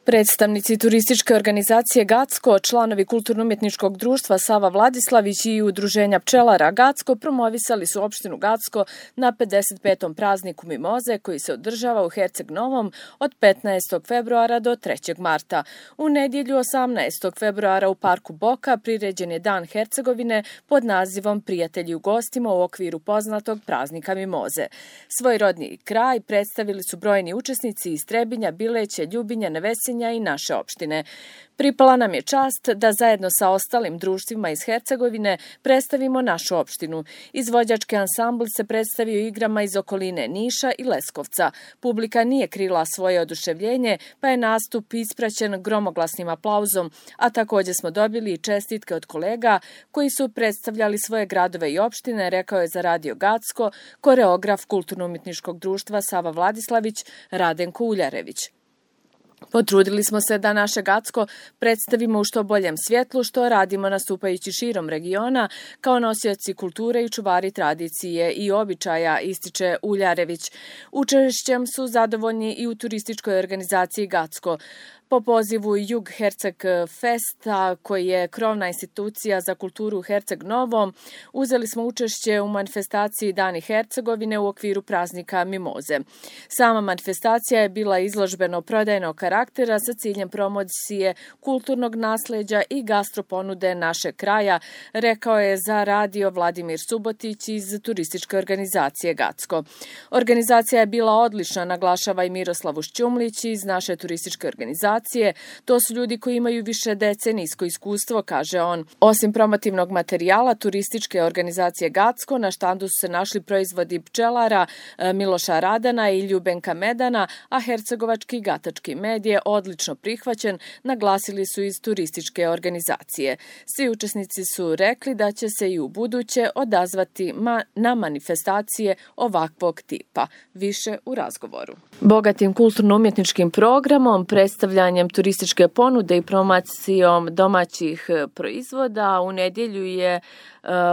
Predstavnici turističke organizacije Gacko, članovi Kulturno-umjetničkog društva Sava Vladislavić i Udruženja pčelara Gacko promovisali su opštinu Gacko na 55. prazniku Mimoze koji se održava u Herceg Novom od 15. februara do 3. marta. U nedjelju 18. februara u parku Boka priređen je Dan Hercegovine pod nazivom Prijatelji u gostima u okviru poznatog praznika Mimoze. Svoj rodni kraj predstavili su brojni učesnici iz Trebinja, Bileća, Ljubinja, Nevesinja i naše opštine. Pripala nam je čast da zajedno sa ostalim društvima iz Hercegovine predstavimo našu opštinu. Izvođački ansambl se predstavio igrama iz okoline Niša i Leskovca. Publika nije krila svoje oduševljenje, pa je nastup ispraćen gromoglasnim aplauzom, a također smo dobili i čestitke od kolega koji su predstavljali svoje gradove i opštine, rekao je za Radio Gacko koreograf Kulturno-umjetničkog društva Sava Vladislavić Radenko Uljarević. Potrudili smo se da naše Gacko predstavimo u što boljem svjetlu, što radimo nastupajući širom regiona kao nosioci kulture i čuvari tradicije i običaja, ističe Uljarević. Učešćem su zadovoljni i u turističkoj organizaciji Gacko. Po pozivu Jug Herceg Festa, koji je krovna institucija za kulturu u Herceg Novom, uzeli smo učešće u manifestaciji Dani Hercegovine u okviru praznika Mimoze. Sama manifestacija je bila izložbeno-prodajnog karaktera sa ciljem promocije kulturnog nasleđa i gastroponude našeg kraja, rekao je za radio Vladimir Subotić iz turističke organizacije Gacko. Organizacija je bila odlična, naglašava i Miroslav Ušćumlić iz naše turističke organizacije. To su ljudi koji imaju više decenijsko iskustvo, kaže on. Osim promotivnog materijala turističke organizacije Gacko, na štandu su se našli proizvodi pčelara Miloša Radana i Ljubenka Medana, a hercegovački i gatački med je odlično prihvaćen, naglasili su iz turističke organizacije. Svi učesnici su rekli da će se i u buduće odazvati na manifestacije ovakvog tipa. Više u razgovoru. Bogatim kulturno-umjetničkim programom, predstavljanjem turističke ponude i promocijom domaćih proizvoda u nedjelju je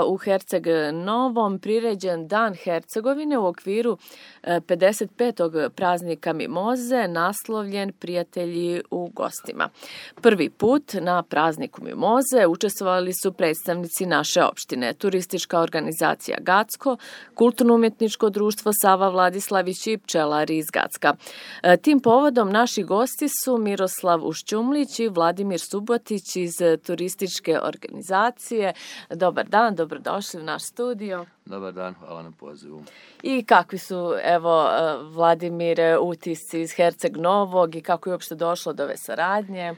u Herceg Novom priređen Dan Hercegovine u okviru 55. praznika Mimoze, naslovljen Prijatelji u gostima. Prvi put na prazniku Mimoze učestvovali su predstavnici naše opštine, turistička organizacija Gacko, Kulturno-umjetničko društvo Sava Vladislavić i pčelari iz Gacka. Tim povodom naši gosti su Miroslav Ušćumlić i Vladimir Subotić iz turističke organizacije. Dobar dan, dobrodošli u naš studio. Dobar dan, hvala na pozivu. I kakvi su, evo, Vladimire, utisci iz Herceg Novog i kako je uopšte došlo do ove saradnje?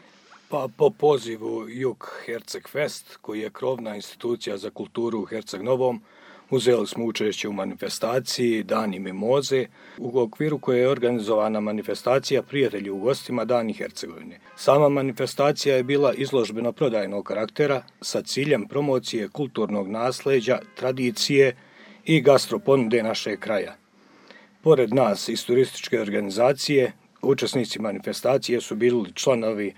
Pa po pozivu Jug Herceg Fest, koji je krovna institucija za kulturu u Herceg Novom, uzeli smo učešće u manifestaciji Dani Mimoze, u okviru koje je organizovana manifestacija Prijatelji u gostima Dani Hercegovine. Sama manifestacija je bila izložbeno-prodajnog karaktera sa ciljem promocije kulturnog nasleđa, tradicije i gastroponude našeg kraja. Pored nas iz turističke organizacije, učesnici manifestacije su bili članovi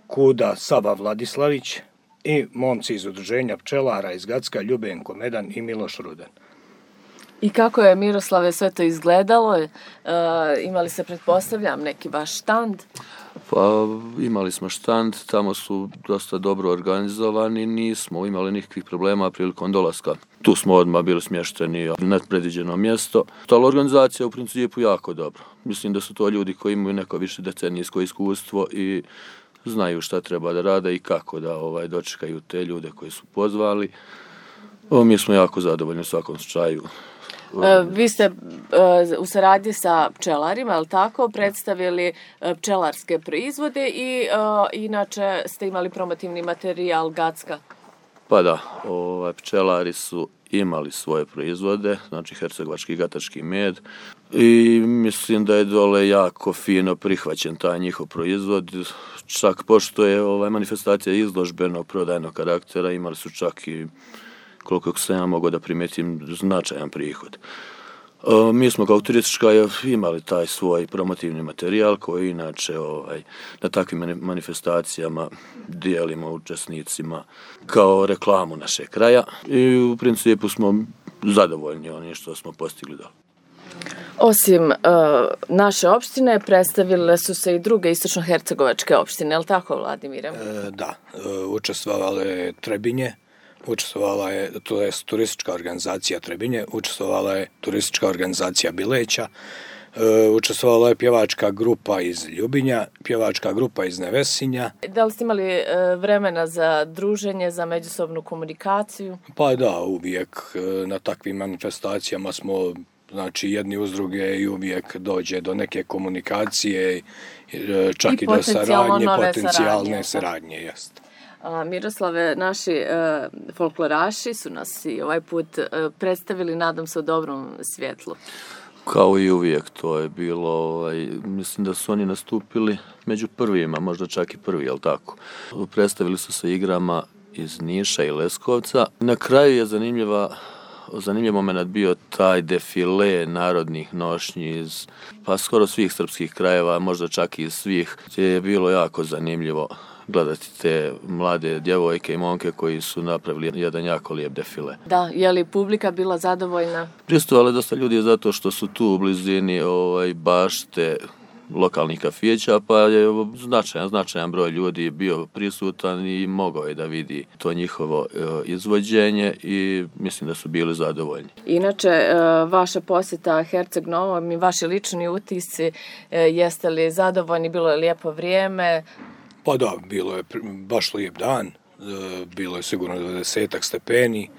KUD-a Sava Vladislavić i momci iz udruženja pčelara iz Gacka, Ljubenko Medan i Miloš Rudan. I kako je, Miroslave, sve to izgledalo? Imali se, pretpostavljam, neki vaš štand? Pa imali smo štand, tamo su dosta dobro organizovani, nismo imali nikakvih problema prilikom dolaska. Tu smo odmah bili smješteni na predviđeno mjesto. Ali organizacija u principu jako dobro. Mislim da su to ljudi koji imaju neko više decenijsko iskustvo i znaju šta treba da rade i kako da dočekaju te ljude koji su pozvali. Mi smo jako zadovoljni u svakom slučaju. Vi ste u saradnji sa pčelarima, je li tako, predstavili pčelarske proizvode i inače ste imali promotivni materijal Gacka? Pa da, pčelari su imali svoje proizvode, znači hercegovački i gatački med, i mislim da je dole jako fino prihvaćen taj njihov proizvod. Čak pošto je manifestacija izložbeno prodajnog karaktera, imali su čak i, koliko sam ja mogao da primetim, značajan prihod. Mi smo kao turistička imali taj svoj promotivni materijal koji inače na takvim manifestacijama dijelimo učesnicima kao reklamu našeg kraja i u principu smo zadovoljni onim što smo postigli dole. Osim naše opštine, predstavile su se i druge istočno-hercegovačke opštine, je li tako, Vladimire? Da, učestvovala je Trebinje, učestvovala je, to je turistička organizacija Trebinje, učestvovala je turistička organizacija Bileća, učestvovala je pjevačka grupa iz Ljubinja, pjevačka grupa iz Nevesinja. Da li ste imali vremena za druženje, za međusobnu komunikaciju? Pa da, uvijek na takvim manifestacijama smo jedni uz druge i uvijek dođe do neke komunikacije, čak i do saradnje, potencijalne saradnje, jeste. Miroslave, naši folkloraši su nas i ovaj put predstavili, nadam se, u dobrom svjetlu. Kao i uvijek, to je bilo, mislim da su oni nastupili među prvima, možda čak i prvi, jel tako? Predstavili su se igrama iz Niša i Leskovca. Na kraju je zanimljiv moment bio taj defile narodnih nošnji iz skoro svih srpskih krajeva, možda čak i iz svih, gdje je bilo jako zanimljivo gledati te mlade djevojke i momke koji su napravili jedan jako lijep defile. Da, je li publika bila zadovoljna? Pristovalo je dosta ljudi zato što su tu u blizini bašte lokalnih kafića, pa je značajan broj ljudi bio prisutan i mogao je da vidi to njihovo izvođenje i mislim da su bili zadovoljni. Inače, vaša posjeta Herceg Novom i vaši lični utisci, jeste li zadovoljni, bilo je lijepo vrijeme? Pa da, bilo je baš lijep dan, bilo je sigurno 20 stepeni.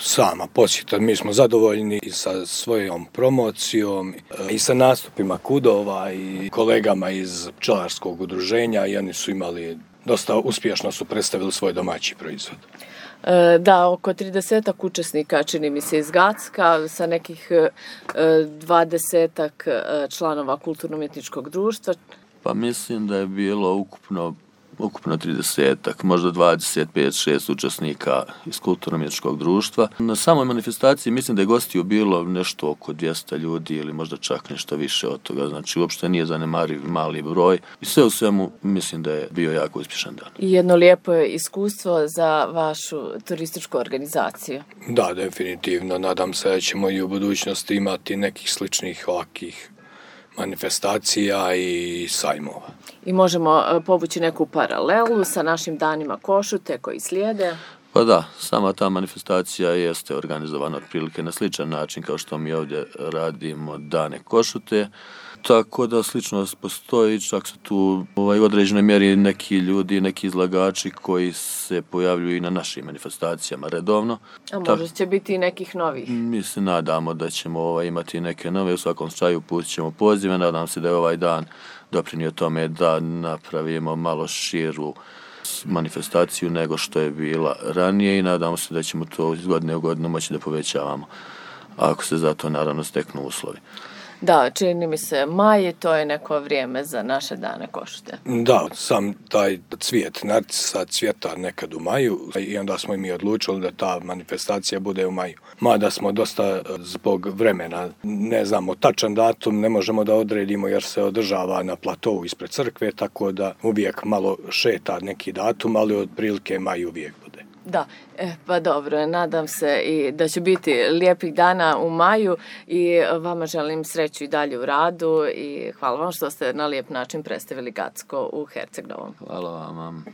Sama posjeta, mi smo zadovoljni i sa svojom promocijom i sa nastupima KUD-ova i kolegama iz pčelarskog udruženja i oni su imali, dosta uspješno su predstavili svoj domaći proizvod. Da, oko 30-ak učesnika, čini mi se, iz Gacka, sa nekih 20-ak članova kulturno-umjetničkog društva. Pa mislim da je bilo ukupno 30-ak, možda 25-6 učesnika iz kulturno-umjetničkog društva. Na samoj manifestaciji mislim da je gostiju bilo nešto oko 200 ljudi ili možda čak nešto više od toga. Znači, uopšte nije zanemariv mali broj. I sve u svemu mislim da je bio jako uspješan dan. I jedno lijepo iskustvo za vašu turističku organizaciju. Da, definitivno. Nadam se da ćemo i u budućnosti imati nekih sličnih ovakih manifestacija i sajmova. I možemo povući neku paralelu sa našim danima Košute koji slijede? Pa da, sama ta manifestacija jeste organizovana otprilike na sličan način kao što mi ovdje radimo dane Košute. Tako da sličnost postoji, čak su tu u određenoj mjeri neki ljudi, neki izlagači koji se pojavljuju i na našim manifestacijama redovno. A možda će biti i nekih novih? Mi se nadamo da ćemo imati neke nove, u svakom slučaju pustit ćemo pozive, nadam se da je ovaj dan doprinio tome da napravimo malo širu manifestaciju nego što je bila ranije i nadamo se da ćemo to iz godine u godinu moći da povećavamo, ako se za to naravno steknu uslovi. Da, čini mi se maj, to je neko vrijeme za naše dane Košute. Da, sam taj cvijet narcisa cvjeta nekad u maju i onda smo i mi odlučili da ta manifestacija bude u maju. Mada smo dosta zbog vremena, ne znamo tačan datum, ne možemo da odredimo jer se održava na platovu ispred crkve, tako da uvijek malo šeta neki datum, ali otprilike maj uvijek bude. Da, pa dobro, nadam se i da će biti lijepih dana u maju i vama želim sreću i dalje u radu i hvala vam što ste na lijep način predstavili Gacko u Herceg Novom. Hvala vam.